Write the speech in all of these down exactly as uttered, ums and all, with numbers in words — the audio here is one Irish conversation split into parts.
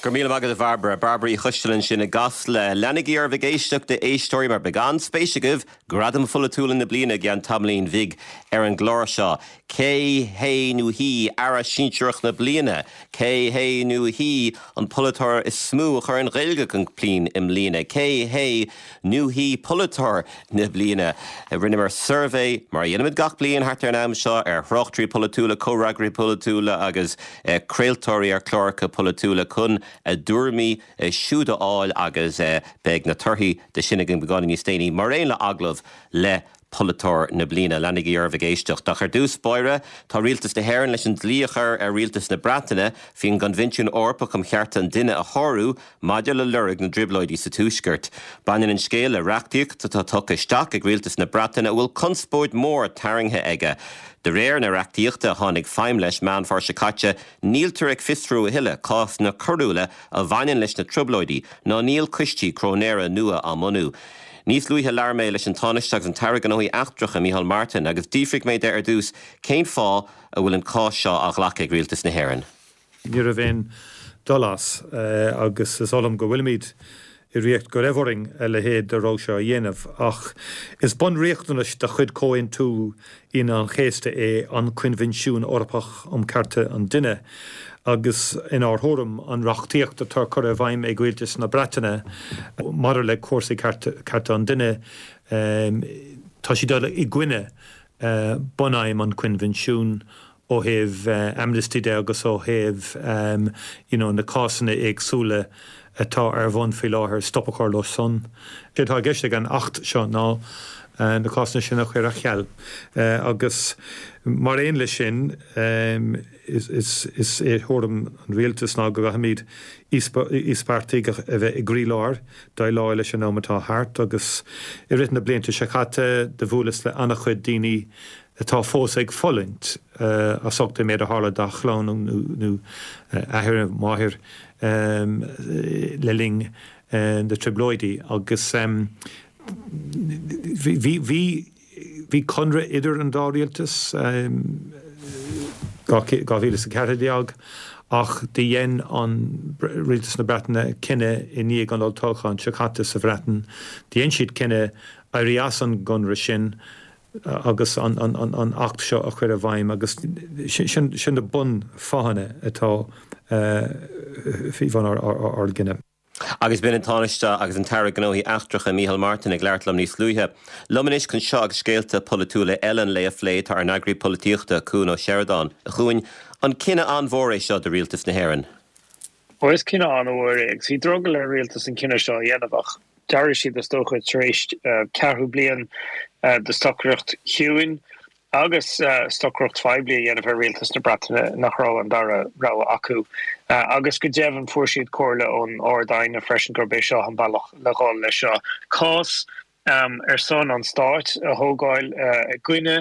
Go raibh míle maith agat a Bhairbre Bairbre Uí Choistealbha ansin i gCasla. Leanaigí oraibh ag éisteacht a éisteoirí mar beidh an-spéis agaibh gradaim pholaitiúla na bliana i gceann tamaillín bhig ar an gclár seo. Cé hé nó hí aire sinsearach na bliana, Cé hé nó hí an polaiteoir is mó a chuir an Ghaeilge chun cinn i mbliana, Cé hé nó hí polaiteoir na bliana. Rinneamar suirbhé mar a dhéanaimid gach bliain thart ar an am seo ar thráchtairí polaitiúla, comhfhreagraí polaitiúla agus eh, craoltóirí ar chláracha polaitiúla chun a dtuairimí eh, siúd a fháil agus eh, beidh na torthaí de sin againn beagáinín níos déanaí mar aon le agallamh le polaiteoir na bliana leanaigí oraibh ag éisteacht. Ach ar dtús báire tá rialtas na hÉireann leis an dlí a chur ar rialtas na Breataine faoin gCoinbhinsiún Eorpach um Chearta an Duine a shárú maidir le lorg na dtrioblóidí sa Tuaisceart. Baineann an scéal le reachtaíocht atá tugtha isteach ag rialtas na Breataine a bhfuil conspóid mór tarraingthe aige. De réir na reachtaíochta a tháinig feidhm leis Meán Fómhair seo caite, níltear ag fiosrú a thuilleadh cásanna coiriúla a bhaineann leis na trioblóidí ná níl coistí cróinéara nua á mbunú. Níos luaithe labhair mé leis an Tánaiste agus an tAire Gnóthaí Eachtracha Micheál Martin agus d'fhiafraigh mé de ar dtús cén fáth a bhfuil an cás seo á ghlacadh ag rialtas na hÉireann. Ní raibh aon dul as agus is olam go bhfuilimid i riocht go raibh orainn a leithéid de rud seo a dhéanamh ach is bunriachtanas de chuid Chomhaontú Aoine an Chéasta é an Coinbhinsiún Eorpach um Chearta an Duine agus inár thuairim an reachtaíocht atá curtha i bhfeidhm ag rialtas na Breataine maidir le cúrsaí cearta an duine tá sí dul i gcoinne bunaidhm an Choinbhinsiúin ó thaobh amnesty de agus ó thaobh you know, na cásanna éagsúla atá ar bun faoi láthair stop a chur leo san. Sé atá i gceist ag an Acht seo ná na cásanna sin a chur ar ceal. agus mar aon leis sin is, is, is é thuairim an rialtas ná go gcaithfimid íospartaigh a bheith i gcroílár déileáil leis an am atá thart agus i rith na blianta seo caite do bhuaileas le an-chuid daoine atá fós ag fulaingt as ucht an méid a tharla dá chlann nó athair máthair le linn na trioblóidí agus bhí bhí bhí conradh idir an dá rialtas dhá mhíle is a ceathair déag ach de dhein an rialtas na Breataine cinneadh i ndiaidh an olltoghcháin seo caite sa Bhreatain, dhein siad cinneadh éirí as an gconradh sin agus an, an, an, an acht seo a chur i bhfeidhm agus sin, sin na bunfháthanna atá faoi bhun ár, ár, ár gcinneadh. Agus b'in an Tánaiste agus an tAire Gnóthaí Eachtracha Micheál Martin ag labhairt liom níos luaithe. Liom anois chun seo agus scéalta polaitiúla eile an lae a phlé tá ár n-eagraí polaitíochta Cuan Ó Seireadáin. A Chuain an cinneadh an-mhór é seo do rialtas na hÉireann. Ó is cinneadh an-mhór é agus bhí drogall ar rialtas an cinneadh seo a dhéanamh ach d'éirigh siad is dócha tar éis ceathrú bliain de stocaireacht chiúin agus stocaireacht phoiblí a dhéanamh ar rialtas na Breataine nach raibh an dara rogha acu. Agus go deimhin fuair siad comhairle ón Ard-Aighne freisin gurb é seo an bealach le dhul leis seo. Cás um, ar son an stáit a thógáil uh, i gcoinne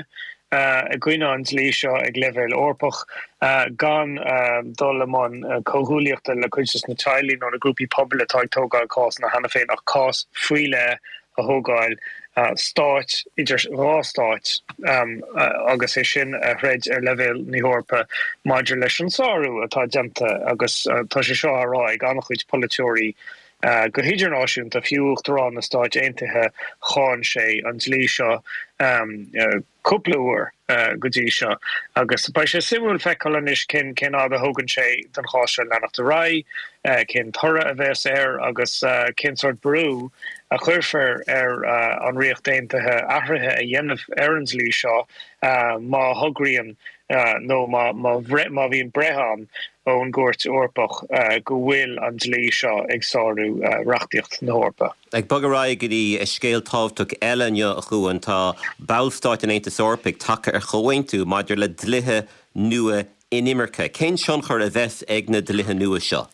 uh, i gcoinne an dlí seo ag leibhéal Eorpach uh, gan uh, dul i mbun uh, comhghuaillíochta le cuid de na teaghlaigh nó na grúpaí pobail atá ag tógáil cás na cheana féin ach cás faoi leith a thógáil uh, stáit idir dhá stáit um, uh, agus é sin a throid ar leibhéal na hEorpa maidir leis an sárú atá déanta agus uh, tá sé seo á rá ag an-chuid polaiteoirí Uh, go hidirnáisiúnta fiú Uachtarán na Stát Aontaithe cháin sé an dlí seo um, uh, cúpla uair uh, go dtí seo agus beidh sé suimiúil feiceáil anois cén cén fhad a thógann sé don chás seo leanacht ar aghaidh, uh, cén toradh a bheas air agus uh, cén sórt brú a chuirfear ar uh, an Ríocht Aontaithe athruithe a dhéanamh ar an dlí seo uh, má thograíonn uh, nó má má bhíonn breith ann ón gCúirt Eorpach uh, go bhfuil an dlí seo ag sárú uh, reachtaíocht na hEorpa. Ag bogadh ar aghaidh go dtí scéal tábhachtach eile inniu a Chuain tá ballstáit an Aontais Eorpaigh tagtha ar chomhaontú maidir le dlíthe nua inimirce. Cén tionchar a bheas ag na dlíthe nua seo?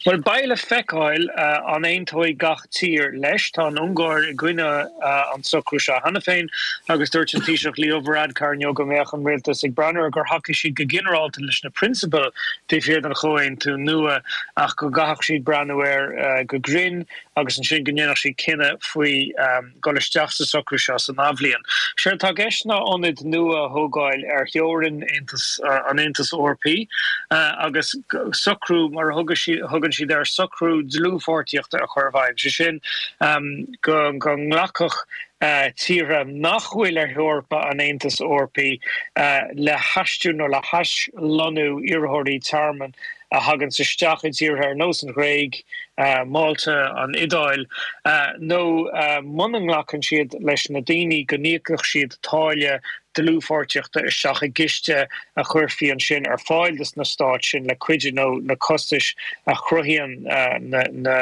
Well beidh le feiceáil uh, an aontóidh gach tír leis tá an Ungáir i gcoinne uh, an socrú seo cheana féin agus dúirt an Taoiseach Leo Varadkar inniu go mbeadh an rialtas ag breathnú gur thacaigh siad go ginearálta leis na prionsabail taobh thiar den chomhaontú nua ach go gcaithfeadh siad breathnú air uh, go grinn agus ansin go ndéanfadh siad cinneadh faoi um, dul isteach sa socrú seo san athbhliain. Sé atá i gceist ná ionaid nua a thógáil ar theorainn Aontas uh, an Aontas Eorpaigh uh, agus socrú mar a thugann siad ar socrú dlúthpháirtíochta a chur i bhfeidhm, sé sin go go nglacfadh tíortha nach bhfuil ar theorainneacha an Aontais Eorpaigh le haistriú nó le haslonnú iarrthóirí tearmainn a thaganns isteach i dtíortha ar nós an Ghréig, Málta, an Iodáil, nó muna nglacann siad leis na daoine go n-íocfadh siad táille dlúthpháirtíochta isteach i gciste a chuirfí ansin ar fáil dos na stáit sin le cuidiú leo na costais a chruthaíonn na na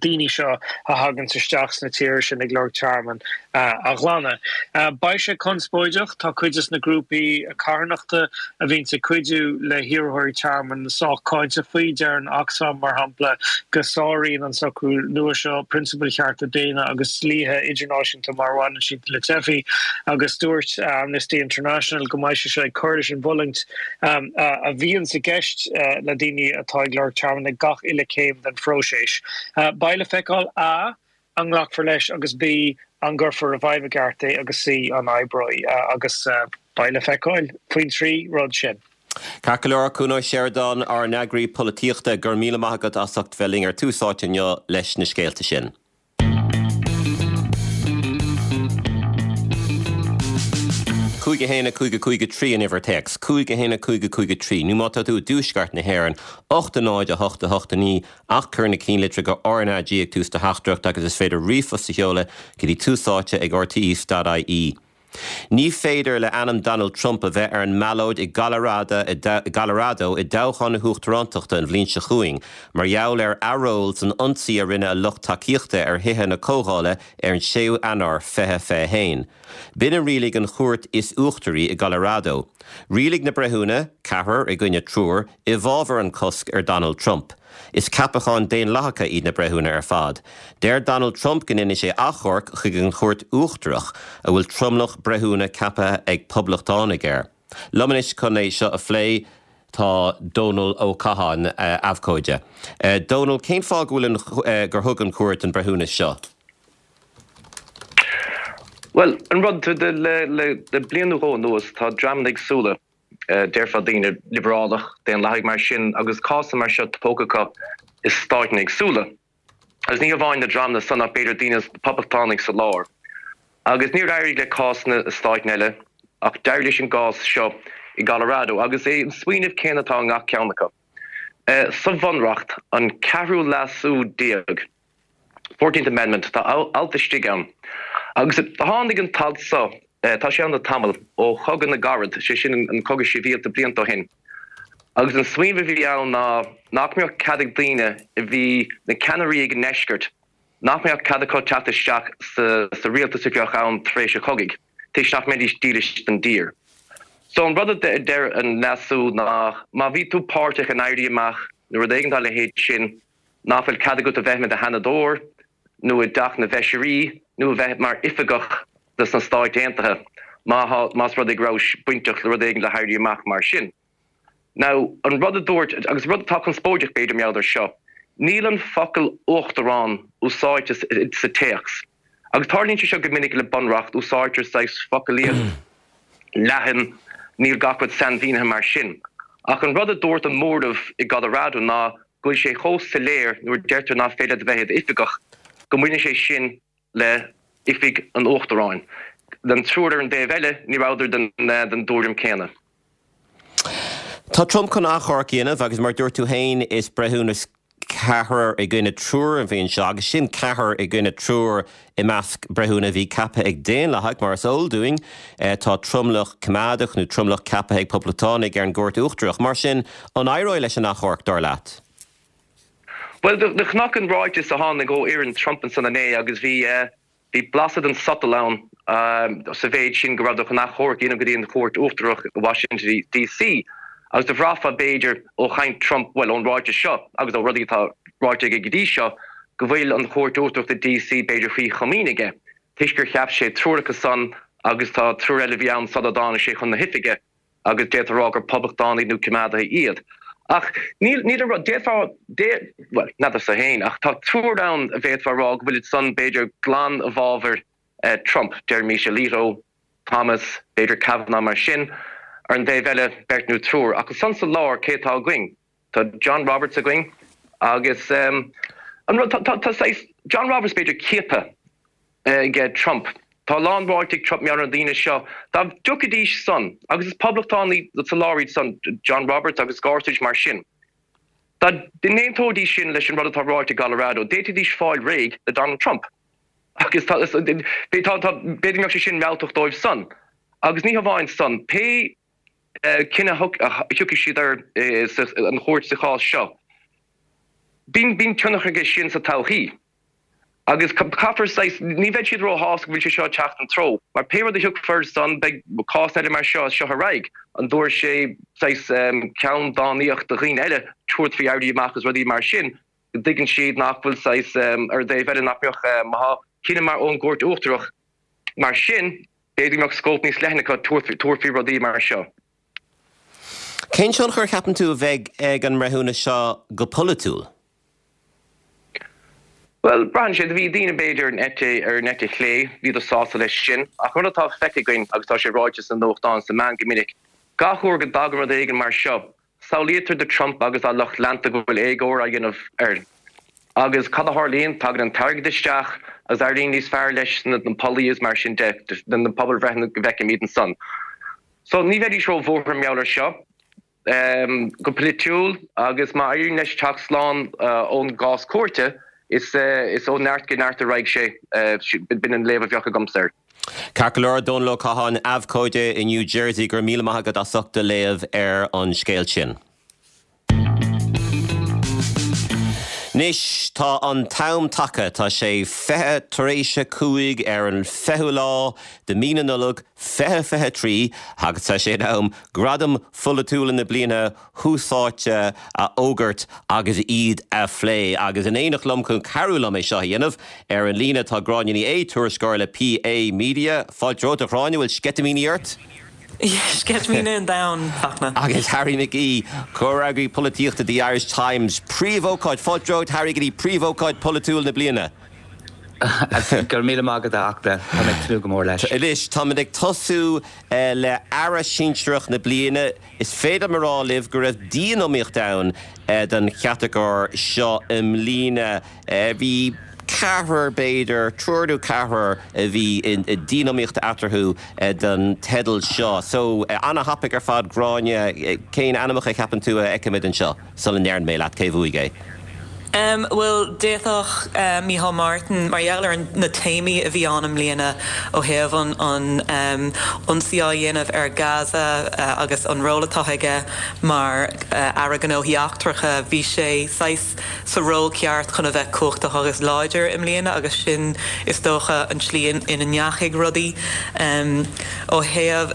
daoine seo a thaganns isteach sna tíortha sin ag lorg tearmainn a ghlanadh. Beidh sé conspóideach, tá cuid de na grúpaí carthanachta a bhíonns ag cuidiú le hiarrthóirí tearmainn sách cáinteach faoi. Deireann Oxfam, mar shampla, go sáraíonn an socrú nua seo prionsabail chearta daonna agus dlíthe idirnáisiúnta mar a bhaineann siad le teifigh agus dúirt Amnesty International go mbeidh sé seo ag cur leis an bhfulaingt a bhíonns i gceist le daoine atá ag lorg tearmainn ag gach uile céim den phróiseas. Beidh le feiceáil, A, an nglacfar leis agus B, an gcuirfear i bhfeidhm i gceart é agus C, an oibreoidh agus beidh le feiceáil faoin trí rud sin. Ceart go leor, Cuan Ó Seireadáin, ár n-eagraí polaitíochta, go raibh míle maith agat as ucht bheith linn ar Tús Áite inniu leis na scéalta sin. Cúig a haon a cúig a cúig a trí an uimhir téacs, cúig a haon a cúig a cúig a trí, nó má tá tú i dtuaisceart na hÉireann, ocht a náid a hocht a hocht a naoi, ach cuir na cinnlitreacha RnaG ag tús do theachtaireachta agus is féidir ríomhphost a sheoladh go dtí túsáite ag rte dot ie. Ní féidir le ainm Donald Trump a bheith ar an mballóid i gColorado i dtoghchán na huachtarántachta an bhliain seo chugainn mar gheall ar athról san ionsaí a rinne a lucht tacaíochta ar thithe na comhdhála ar an séú Eanáir fiche fiche haon. B'in a rialaigh an chúirt is uachtaraí i gColorado. Rialaigh na breithiúna, ceathrar i gcoinne triúr, i bhfabhar an cosc ar Donald Trump. Is ceapacháin Daonlathacha iad na breithiúna ar fad. Deir Donald Trump go ndéanfaidh sé achomharc chuig an Chúirt Uachtarach, a bhfuil tromlach breithiúna ceaptha ag Poblachtánaigh air. Liom anois chun é seo a phlé tá Dónal Ó Catháin, abhcóide. Dónal, cén fáth go bhfuil an, gur thug an chúirt an breithiúnas seo? Bhuel, an rud, le, le, le bliain nó dhó anuas tá dreamanna éagsúla, déarfá daoine liobrálach, daonlathaigh mar sin, agus cásanna mar seo tógtha acu i stáiteanna éagsúla. Agus ní hamháin na dreamanna san ach b'fhéidir daoine poblachtánaigh sa lár. Agus níor éirigh le cásanna i stáiteanna eile ach d'éirigh leis an gcás seo i gColorado agus é an smaoineamh céanna atá i ngach ceann acu. Sa Bhunreacht, an ceathrú leasú déag, Fourteenth Amendment, tá alt istigh ann agus tháinig an t-alt so, tá sé ann le tamall, ó Chogadh na gCarad, sé sin an cogadh sibhialta blianta ó shin, agus an smaoineamh a bhí ann ná nach mbeadh cead ag daoine a bhí na ceannairí ag an ndeisceart, nach mbeadh cead acu teacht isteach sa rialtas a bheadh ann tar éis an chogaidh, toisc nach mbeidís dílis don dtír. So an rud a deir an leasú ná má bhí tú páirteach in éirí amach nó rud éigin dá leithéid sin, nach bhfuil cead agat a bheith i do sheanadóir nó i dTeach na bhFeisirí nó a bheith mar oifigeach de sna Stáit Aontaithe má thá, más rud é go rabhais bainteach le rud éigin le héirí amach mar sin. Now, an rud a dúirt, agus rud atá conspóideach b'fhéidir mar gheall air seo, níl an focal uachtarán úsáidte sa téacs. Agus tarlaíonn sé seo go minic le bunreacht, úsáidtear saghas focalaíocht leathan, níl gach rud sainmhínithe mar sin. Ach an rud a dúirt an móramh i gColorado ná go bhfuil sé chomh soiléir nuair a deirtear nach féidir leat a bheith i d'oifigeach, go mbaineann sé sin le oifig an Uachtaráin. An triúr ar an dtaobh eile, ní rabhadar den dtuairim céanna. Tá Trump chun achomharc a dhéanamh agus mar a dúirt tú féin is breithiúnas ceathrar i gcoinne triúr a bhí anseo agus sin ceathrar i gcoinne triúr i measc breithiúna a bhí ceaptha ag Daonlathaigh. Mar is eol dúinn tá tromlach coimeádach nó tromlach ceaptha ag Poblachtánaigh ar an gCúirt Uachtarach. Mar sin, an éireoidh leis an achomharc, dar leat? Bhuel, do chonac an ráiteas a tháinig ó fhoireann Trump ansan inné agus bhí, bhí blaiseadh den sotal ann sa mhéid sin go rabhadar chun achomharc a dhéanamh go dtí an Chúirt Uachtarach i Washington DC agus do bhraithfeá b'fhéidir ó chaint Trump, bhuel ón ráiteas seo agus ó rudaí atá ráite aige go dtí seo, go bhfuil an Chúirt Uachtarach i DC b'fhéidir faoi chomaoin aige toisc gur cheap sé triúr acu san agus tá triúr eile a bhí ann sula dtáinig sé chun na hoifige. agus d'fhéadfá a rá gur poblachtánaigh nó coimeádaithe iad. Ach níl, níl an rud, d'fhéadfá, bhuel, n'fheadarsa féin, ach tá triúr ann a bhféadfá a rá go bhfuilid san, b'fhéidir, glan i bhfabhar Trump, deirimis Alito, Thomas, b'fhéidir Kavanaugh mar sin. Ar an dtaobh eile, beirt nó triúr. Ach ansan sa lár, cé atá againn? Tá John Roberts againn, Agus um, an rud tá tá saghas John Roberts b'fhéidir ciaptha ag Trump. Tá a lán ráite ag Trump mar na daoine seo dá dtiocfaidís san agus is poblachtánaigh sa lár iad san John Roberts agus Gorsuch mar sin. Dá n-aontóidís sin leis an rud atá ráite i gColorado, d'fhéadfaidís fáil réidh le Donald Trump. Agus b'fhéidir go mbeadh sé sin mealltach dóibh san. Agus ní hamháin san, pé cinneadh a thiocfaidh siad air an chúirt sa chás seo, bíonn bíonn tionchar aige sin sa todhchaí. Agus caithfear saghas, ní bheidh siad róshásta go bhfuil sé seo ag teacht an treo, mar pé rud a thiocfar san beidh cás eile mar seo as seo ar aghaidh, an dtabharfaidh sé saghas ceann dánaíocht do dhaoine eile tabhairt faoi éirí amach agus rudaí mar sin, go dtuigeann siad nach bhfuil saghas ar an dtaobh eile nach mbeadh má tá cinneadh mar ón gCúirt Uachtarach mar sin, b'fhéidir go mbeadh scóip níos leithne acu tabhairt faoi rudaí mar seo. Cén tionchar a cheapann tú a bheidh ag an mbreithiúnas seo go polaitiúil? Bhuel, braitheann sé. Do bhí daoine b'fhéidir ar an eite, ar an eite chlé, bhíodar sásta leis sin. Ach rud atá feicthe againn, agus tá sé ráite sna nuachtáin, sna meáin go minic, gach uair go dtagann rud éigin mar seo, samhlaítear do Trump agus dá lucht leanta go bhfuil éagóir á dhéanamh air. Agus cad a tharlaíonn? Tagann an t-airgead isteach agus éiríonn níos fearr leis sna pollaí is mar sin de, na pobalbhreitheanna go bhfeicimid ansan. So, ní bheidís ró-bhuartha mar gheall air seo. Go polaitiúil, agus má éiríonn leis teacht slán ón gcás cúirte, is ó neart go neart a raghaidh sé. B'in an léamh a bheadh agamsa air. Ceart go leor, Dónal Ó Catháin, abhcóide i New Jersey, go raibh míle maith agat as ucht do léamh ar an scéal sin. Anois tá an t-am tagtha, tá sé fiche tar éis a cúig ar an fichiú lá de mí na Nollag fiche fiche a trí agus tá sé in am Gradaim Pholaitiúla na bliana thuas áite a fhógairt agus iad a phlé. Agus in éineacht liom chun cabhrú liom é seo a dhéanamh, ar an líne tá Gráinne Ní Aodha, tuairisceoir le PA Media. Fáilte romhat a Ghráinne, bhfuil sceitimíní ort? Sceitimíní an domhain, Fachtna. Agus Harry McGee, comhfhreagraí polaitíochta The Irish Times. Príomhócáid, fáilte romhat Harry go dtí príomhócáid polaitiúil na bliana. Go raibh míle maith agat a Fhachtna, tá mé ag tnúth go mór leis. Anois, táimid ag tosú le Aire Sinsearach na Bliana. Is féidir liom a rá libh go raibh dianiomaíocht ann don chatagóir seo i mbliana. Bhí ceathrar, b'fhéidir, triúr nó ceathrar a bhí i dianiomaíocht eatarthu don teideal seo. So, ana-thapaidh ar fad, Gráinne, cén ainmneacha a cheapann tú a fheicfimid anseo sula ndeireann mé leat cé bhuaigh é? Bhuel, d'fhéadfadh Micheál Martin, mar gheall ar na téamaí a bhí ann i mbliana ó thaobh an ionsaí á dhéanamh ar Gaza agus an ról atá aige mar Aire Gnóthaí Eachtracha, bhí sé saghas sa ról ceart chun a bheith cumhachtach agus láidir i mbliana agus sin is dócha an tslí ina ndeachaigh rudaí. Ó thaobh,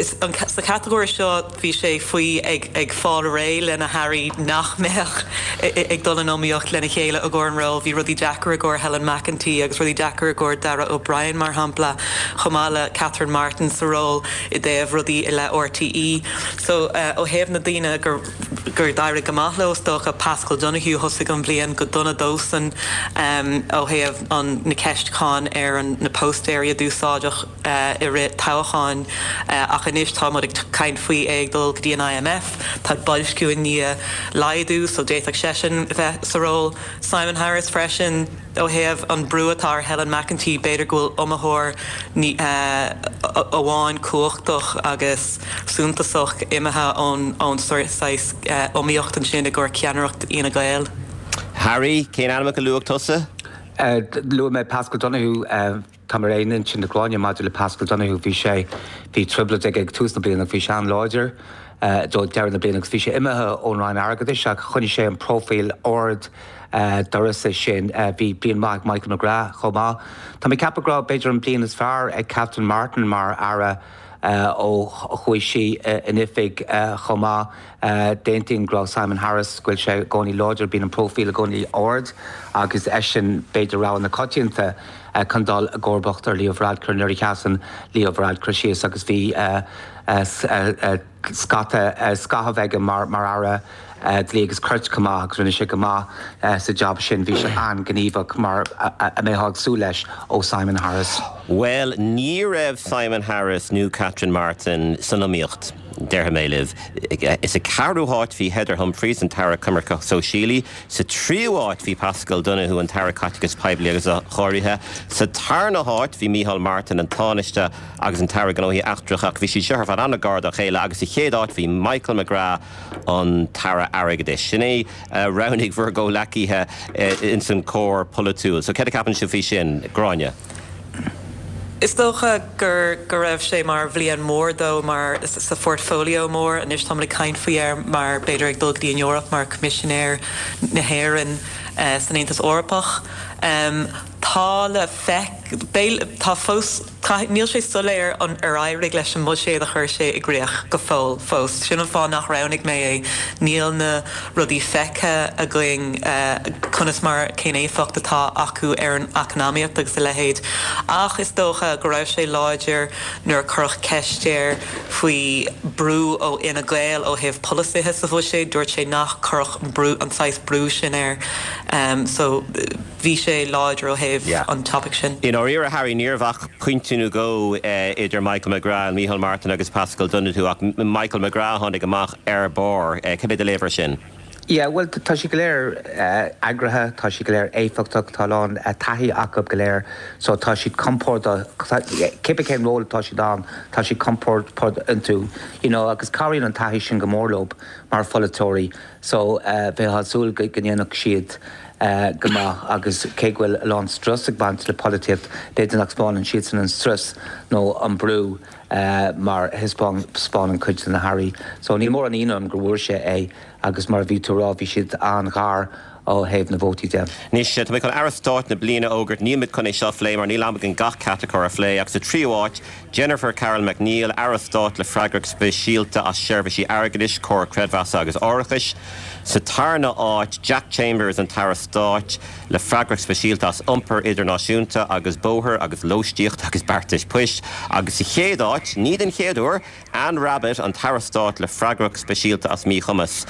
sa chatagóir seo bhí sé faoi ag fáil réidh le na hairí nach mbeadh ag dul in iomaíocht lena chéile i gcomhair an ról. Bhí rudaí deacair i gcomhair Helen McEntee agus rudaí deacair i gcomhair Darragh O'Brien mar shampla, chomh maith le Catherine Martin sa ról i dtaobh rudaí i leith RTÉ. So ó thaobh na daoine gur gur d'éirigh go maith leo, is dócha, Paschal Donohoe, thosaigh an bhliain go dona dósan ó thaobh an na ceist cáin ar an na póstaeirí a d'úsáideadh i rith toghcháin ach anois tá muid ag caint faoi é ag dul go dtí an IMF, tá boilsciú i ndiaidh laghdú so d'fhéadfadh seisean bheith sa ról. Simon Harris freisin. Ó thaobh an brú atá ar Helen McEntee, b'fhéidir go bhfuil iomaitheoir amháin cumhachtach agus suntasach imithe ón saghas iomaíocht ansin i gcomhair ceannaireacht Fhine Gael. Harry, cén ainmneacha a luaigh tusa? Luaigh mé Paschal Donohoe. Táim ar aon intinn le Gráinne maidir le Paschal Donohoe. Bhí sé, bhí trioblóid aige ag tús na bliana ach bhí sé an-láidir do deireadh na bliana agus bhí sé imithe ón Roinn Airgeadais ach choinnigh sé an próifíl ard d'uireasa sin. Bhí bliain mhaith ag Michael McGrath chomh maith. Tá mé ag ceapadh go raibh b'fhéidir an bliain is fearr ag Catherine Martin mar Aire ó chuaigh sí in oifig chomh maith. D'aontaím go raibh Simon Harris, go bhfuil sé i gcónaí láidir, bíonn an próifíl i gcónaí ard agus eisean b'fhéidir rogha na coitianta chun dul i gcomharbacht ar Leo Varadkar nuair a sheasann Leo Varadkar síos agus bhí scata scaitheamh aige mar Aire Dlí agus Cirt chomh maith agus rinne sé go maith sa jab sin. Bhí sé an-ghníomhach mar a mbeifeá ag súil leis ó Simon Harris. Bhuel, ní raibh Simon Harris nó Catherine Martin san iomaíocht Déarfaidh mé libh. Sa ceathrú háit bhí Heather Humphreys an tAire Coimirce Sóisialaí, sa tríú háit bhí Paschal Donohoe an tAire Caiteachais Poiblí agus Athchóirithe, sa tarna háit bhí Micheál Martin an Tánaiste agus an tAire Gnóthaí Eachtracha ach bhí siad seo ar fad an-ghar dá chéile agus sa chéad áit bhí Michael McGrath an tAire Airgeadais. Sin é roghnaigh bhur gcomhghleacaithe ins an cór polaitiúil. So céard a cheapann sibh faoi sin, Gráinne? Is dócha gur go raibh sé mar bhliain mór dó mar sa phortfolio mór anois tá ag caint faoi air mar b'fhéidir ag dul go dtí an Eoraip mar Coimisinéir na hÉireann uh, san Aontas Eorpach. Um, tá le feic tá fós níl sé soiléir an ar éirigh leis an mbuiséad a chuir sé i gcrích go fóill fós. Sin an fáth nach roghnaigh mé é níl na rudaí feicthe againn uh, conas mar cén éifeacht atá acu ar an eacnamaíocht agus a leithéid. Ach is dócha go raibh sé láidir nuair a cuireadh ceist air faoi brú ó Fhine Gael ó thaobh polasaithe sa bhuiséad, dúirt sé nach gcuirfeadh brú an saghas brú sin air. Um, so bhí sé láidir ó thaobh yeah. an topic sin. In áiríre Harry níorbh pointe nó dhó uh, idir Michael McGrath, Micheál Martin agus Paschal Donohoe ach Michael McGrath tháinig amach ar barr uh, cad é do léamh air sin. Yeah, well tá siad go léir uh, eagraithe, tá siad go léir éifeachtach tá lán uh, taithí acu go léir, so tá siad compordach cibé cén ról tá siad ann tá siad compordach iontu you know, agus cabhraíonn an taithí sin go mór leo mar pholaiteoirí, so uh, bheifeá ag súil go ndéanfadh siad uh, go maith agus cé go bhfuil lán strus ag baint le polaitíocht b'fhéidir nach spáineann siad san an strus nó an brú uh, mar a thaispeánann cuid de na hairí. So ní mór an ionadh go bhfuair sé é agus mar bhí tú rá bhí siad an-ghar ó thaobh na vótaí de. Anois tá mé chun Aire Stáit na bliana a fhógairt nílimid chun é seo a phlé mar níl am againn gach catagóir a phlé ach sa tríú háit Jennifer Carroll MacNeill Aire Stáit le freagracht speisialta as seirbhísí airgeadais comhar creidmheasa agus árachais. Sa tarna áit Jack Chambers an tAire Stáit le freagracht speisialta as iompar idirnáisiúnta agus bóthar agus lóistíocht agus beartais poist agus sa chéad áit ní den chéad uair Anne Rabbitte an tAire Stáit le freagracht speisialta as míchumas.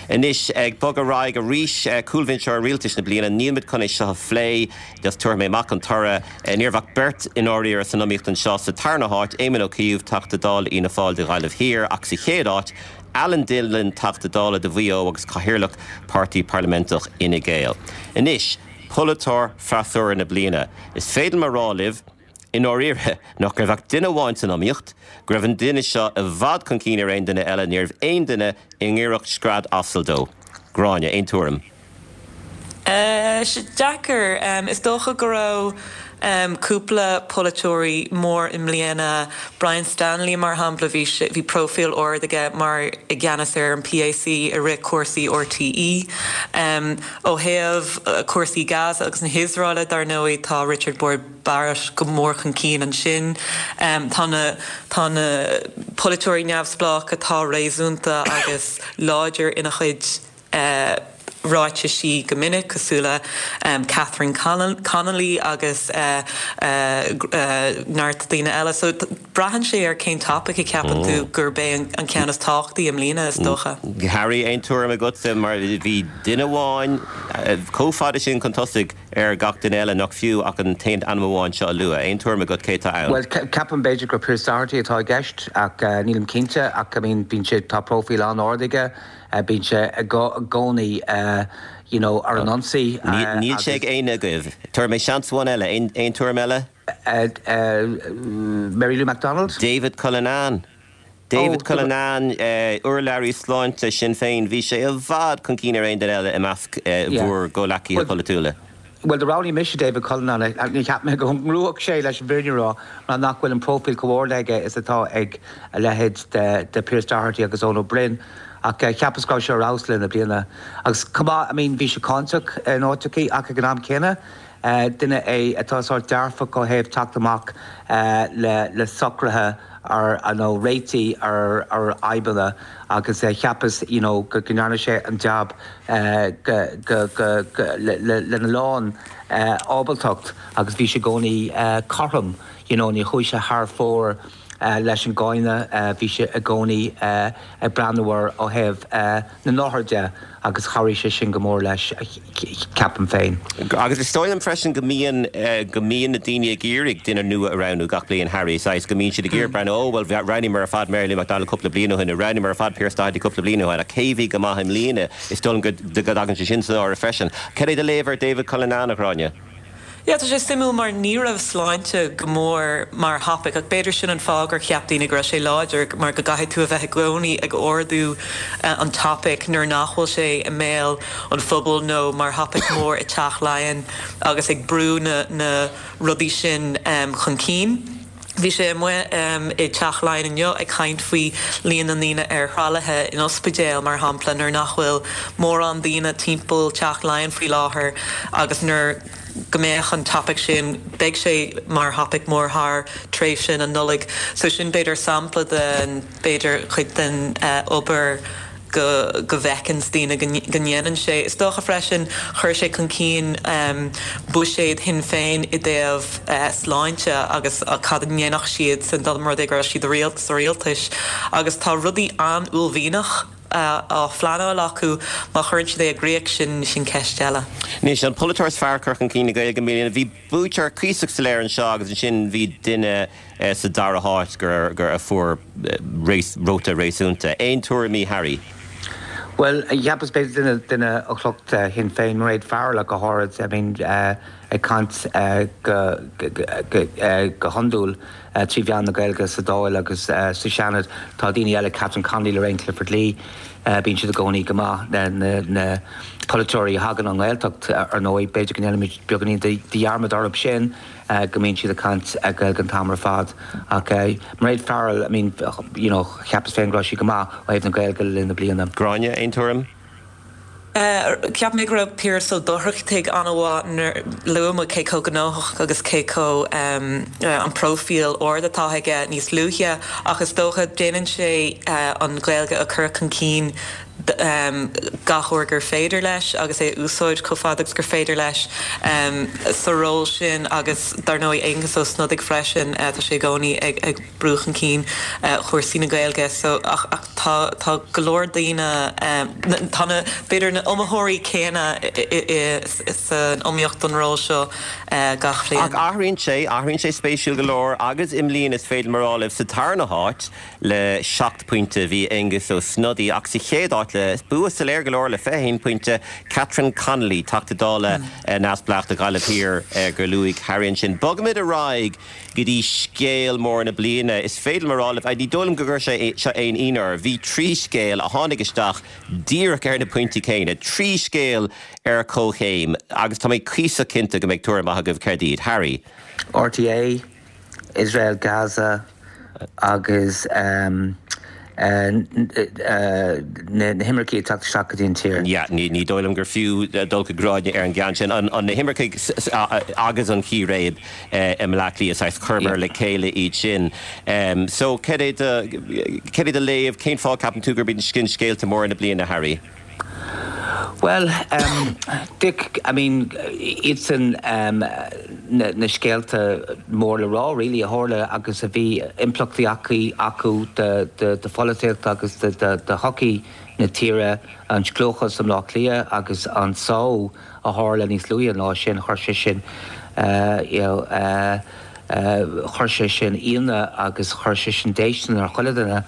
Anois ag bogadh ar aghaidh arís eh, cúlbhinseoir rialtais na bliana nílimid chun é seo a phlé just tabharfaidh mé amach an toradh eh, ní raibh ach beirt in áiríre san iomaíocht anseo sa tarna háit Éamon Ó Cuív Teachta Dála Fhianna Fáil do Ghaillimh Thiar ach sa chéad áit Alan Dillon Teachta Dála do Mhaigh Eo agus Cathaoirleach Páirtí Parlaimenteach Fhine Gael. Anois, polaiteoir freasúra na bliana. Is féidir liom a rá libh, in áiríre nach raibh ach duine amháin san iomaíocht, go raibh an duine seo i bhfad chun cinn ar aon duine eile ní raibh aon duine i ngiorracht scread asail dó. Gráinne aon tuairim. Uh, deacair um, is dócha go raibh um, cúpla polaiteoirí mór i mbliana Brian Stanley mar shampla bhí bhí profil ard aige mar i gceannas ar an PAC i rith cúrsaí RTÉ. Um, ó thaobh uh, cúrsaí Gaza agus na hIosraeile dar ndóigh tá Richard Boyd Barrett go mór chun cinn ansin. Um, tá na tá na polaiteoirí neamhspleách atá réasúnta agus láidir ina chuid uh, ráitisí go minic cosúil le um, Catherine Connolly agus uh, uh, uh, neart daoine eile, so braitheann sé ar cén topic a cheapann tú mm. gurb é an, an ceann is tábhachtaí i mbliana is dócha. Harry aon tuairim agatsa mar bhí duine amháin chomh fada sin chun tosaigh ar gach duine eile nach fiú ach an t-aon ainm amháin seo a lua, aon tuairim agat cé atá ann. Well ceapaim b'fhéidir gur Pearse Doherty atá i gceist ach uh, nílim cinnte ach I mean bíonn sé tá profil an-ard aige uh, bíonn sé i gcónaí uh, you know, ar an ionsaí. Níl sé ag aon agaibh. Tabharfaidh mé seans amháin eile aon tuairim eile? Uh, uh, Mary Lou McDonald? David Cullinane. David oh, Cullinane uh, urlabhraí sláinte Sinn Féin bhí sé i bhfad chun cinn ar aon duine eile i measc bhur gcomhghleacaithe polaitiúla. Well, do roghnaigh mise David Cullinane ní cheap mé go ngnóthódh sé leis an bhfírinne a rá mar nach bhfuil an profil chomh hard aige is atá ag a leithéid de, de Pearse Doherty agus Eoin Ó Broin. ach uh, cheapas go raibh sé rásle na bliana. Agus cumá I mean, bhí sé cáinteach in áiteachaí ach ag an am céanna. Uh, duine é atá sórt dearfach ó thaobh teacht amach uh, le, le socruithe ar nó réitigh ar ar fhadhbanna agus uh, cheapas you know, go ndearna sé an jab uh, go, go, go, go, le, le, lena lán uh, ábaltacht agus bhí sé i gcónaí uh, cothrom you know, ní chuaigh sé thar fóir leis an gcáineadh, bhí sé i gcónaí ag breathnú air ó thaobh na n-othar de agus chabhraigh sé sin go mór leis, ceapaim féin. Agus is dóigh liom freisin go mbíonn go mbíonn na daoine ag iarraidh duine nua a roghnú gach bliain, Harry, saghas go mbíonn siad ag iarraidh breathnú, ó bhuel roghnaíomar ar fad Mary Lou McDonald cúpla bliain ó shin, nó roghnaíomar ar fad Pearse Doherty cúpla bliain ó shin, ach cé bhí go maith i mbliana? Is dóigh liom go dtagann sé sin san áireamh freisin. Cad é do léamh ar David Cullinane, a Ghráinne? Yeah, tá sé suimiúil mar ní raibh sláinte go mór mar thopaic ach b'fhéidir sin an fáth gur cheap daoine go raibh sé láidir mar go gcaithfidh tú a bheith i gcónaí ag ardú an topaic nuair nach bhfuil sé i mbéal an phobail nó mar thopaic mór i Teach Laighean agus ag brú na na rudaí sin chun cinn. Bhí sé amuigh i dTeach Laighean inniu ag caint faoi líon na ndaoine ar thralaithe in ospidéal, mar shampla, nuair nach bhfuil mórán daoine timpeall Teach Laighean faoi láthair agus nuair go mbeadh an topaic sin, beidh sé mar thopaic mór thar tréimhse na Nollag. So sin b'fhéidir sampla den, b'fhéidir cuid den obair go go bhfeiceann daoine go ndéanann sé. Is dócha freisin chuir sé chun cinn buiséad Shinn Féin i dtaobh sláinte agus cad a ndéanfadh siad san dá mba rud é go raibh siad sa rialtas agus tá rudaí an-uaillmhianach á phleanáil acu má chuireann siad é i gcrích sin sin ceist eile. Anois, an polaiteoir is fearr cur chun cinn na Gaeilge i mbliana, bhí buaiteoir cuíosach soiléir anseo agus ansin bhí duine sa dara háit gur gur a fuair vóta réasúnta. Aon tuairimí Harry? Bhuel, cheapas b'fhéidir duine duine ó shliocht Shinn Féin, Mairéad Farrell ach go háirid, I mean ag caint go go hiondúil trí mheán na Gaeilge sa Dáil agus sa Seanad. Tá daoine eile, Catherine Connolly, Lorraine Clifford-Lee, bíonn siad i gcónaí go maith, na na polaiteoirí a thagann ón nGaeltacht ar ndóigh, b'fhéidir go ndéanaimid beagáinín de dhearmad orthu sin. go mbíonn siad ag caint Gaeilge an t-am ar fad. Ach Mairéad Farrell, I mean, you know, cheapas féin go raibh sí go maith ó thaobh na Gaeilge le linn na bliana. Gráinne, aon tuairim? Cheap mé go raibh Piaras Ó Dochartaigh an-mhaith nuair luaigh muid cé chomh gnóthach agus cé chomh an próifíl ard atá aige níos luaithe ach is dócha déanann sé an Ghaeilge a chur chun cinn gach uair gur féidir leis agus é a úsáid chomh fada agus gur féidir leis sa ról sin agus dar ndóigh Aengus Ó Snodaigh freisin, tá sé i gcónaí ag ag brú chun cinn chúrsaí na Gaeilge so ach ach tá tá go leor daoine tá na b'fhéidir na iomaitheoirí céanna san iomaíocht don ról seo gach bliain. Ach athraíonn sé, athraíonn sé spéisiúil go leor agus i mbliana is féidir liom a rá libh sa tarna háit le seacht pointe bhí Aengus Ó Snodaigh ach sa chéad áit le bua soiléir go leor le fiche haon pointe, Catherine Connolly, Teachta Dála neamhspleách do Ghaillimh Thiar gur luaigh Harry ansin. Bogaimid ar aghaidh go dtí scéal mór na bliana. Is féidir liom a rá libh, ní dóigh liom go gcuir sé seo aon ionadh oraibh, bhí trí scéal a tháinig isteach díreach ar na pointí céanna, trí scéal ar comhchéim agus tá mé cuíosach cinnte go mbeidh tuairim maith agaibh céard iad. Harry. RTÉ, Israel, Gaza agus na himircigh ag teacht isteach go dtí an tír. Yeah, ní ní dóigh liom gur fiú dul go Gráinne ar an gceann sin. An na himircigh agus an chíréib i mBleá Cliath, saghas chuireamar le chéile iad sin. So cad é do cad é do léamh, cén fáth ceapann tú gurb iad sin scéalta móra na bliana, Harry? Bhuel, Dick, I mean, iad sin na na scéalta mór le rá really a tharla agus a bhí impleachtaí acu acu do do do pholaitíocht agus do do do shochaí na tíre, an scliúchas i mBleá Cliath agus an só a tharla níos luaithe an lá sin, chuir sé sin you know chuir sé sin ionadh agus chuir sé sin déistin ar chuile dhuine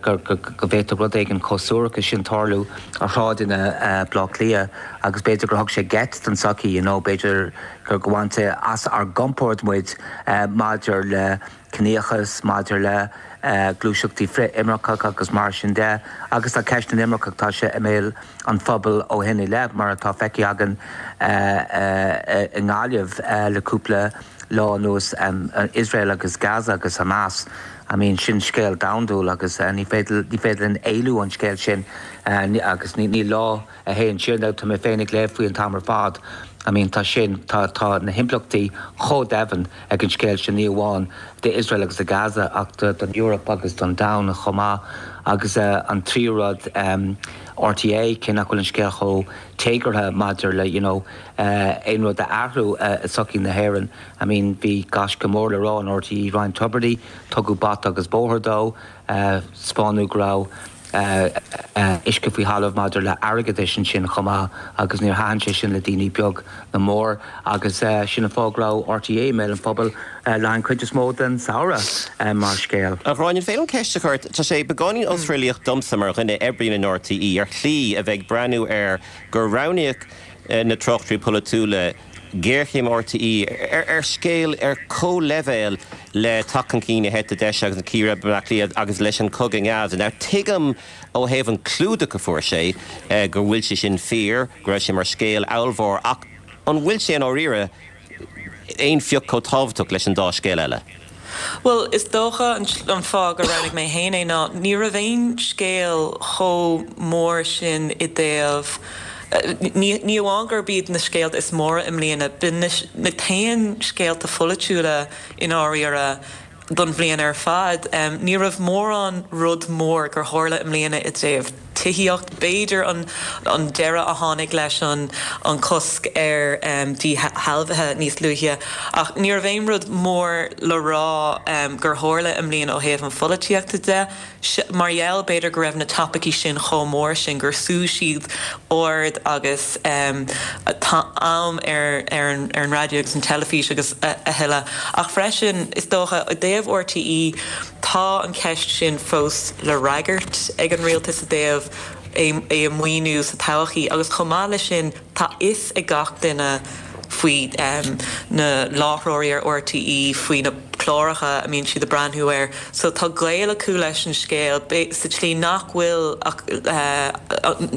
go bhféadfadh rud éigin chomh suarach sin tarlú ar shráideanna Bhaile Átha Cliath agus b'fhéidir gur thug sé geit don tsochaí, you know, b'fhéidir gur bhain sé as ár gcompord muid maidir le ciníochas, maidir le gluaiseachtaí frith-imirceach agus mar sin de. Agus tá ceist na n-imirceach, tá sé i mbéal an phobail ó shin i leith, mar atá feicthe againn i nGaillimh le cúpla lá anuas, Iosrael agus Gaza agus Hamas. I mean, sin scéal domhandúil agus ní féidir ní féidir linn éalú ón scéal sin agus ní lá a théann siar nó tá mé féin ag léamh faoi an t-am ar fad. I mean, tá sin, tá tá na himpleachtaí chomh domhain ag an scéal sin, ní amháin d'Iosrael agus do Gaza ach don Eoraip agus don domhan chomh maith. Agus an tríú rud, an RTÉ cé nach bhfuil an scéal chomh téagartha maidir le you know, uh, aon rud a athrú uh, i sochaí na hÉireann. I mean bhí gaisce mór le rá in RTÉ Ryan Tubridy, tugadh bata agus bóthar dó, uh, spánu grá uh, uh, uisce faoi thalamh maidir le airgeadas sin chomh maith agus níor thaitin sé sin le daoine beag ná mór agus uh, sin an fáth go raibh RTÉ i mbéal an phobail uh, le an chuid is mó den samhradh uh, mar scéal. A Ghráinne féin an ceist a chur tá sé beagáinín osréalaíoch domsa mar dhuine a oibríonn in RTÉ ar shlí a bheith ag breathnú ar gur roghnaíodh na tráchtairí polaitiúla géarchéim RTÉ ar ar scéal ar comhleibhéal le teacht chun cinn na heite deise agus na círéibe agus leis an cogadh in Gaza. Now tuigim ó thaobh an clúdach a fuair sé eh, go bhfuil sé sin fíor, go raibh sé mar scéal ollmhór ach an bhfuil sé an áiríre aon phioc chomh tábhachtach leis an dá scéal eile. Well, is dócha an, an fáth gur roghnaigh mé féin é ná ní raibh aon scéal chomh mór sin i dtaobh Ní ní amháin gurb iad na scéalta is móra i mbliana, b'in na t-aon scéalta pholaitiúla i ndáiríre don bhliain ar fad. Um, ní raibh mórán rud mór gur tharla i mbliana i dtaobh tithíocht b'fhéidir an, an deireadh a tháinig leis an, an cosc ar um, díshealbhuithe níos luaithe. Ach ní raibh aon rud mór le rá um, gur tharla i mbliana ó thaobh an pholaitíochta de, mar gheall b'fhéidir go raibh na topaicí sin chomh mór sin gur shú siad aird agus um, am ar, ar, an, ar an raidió agus an teilifís agus a, a thuilleadh. Ach freisin is dócha i dtaobh RTÉ tá an ceist sin fós le freagairt ag an rialtas i dtaobh é, é a mhaoiniú sa todhchaí agus chomh maith leis sin tá fhios ag gach duine faoi um, na láithreoirí ar RTÉ faoi na cláracha a mbíonn siad ag breathnú air, so tá gaol acu leis an scéal sa tslí nach bhfuil uh,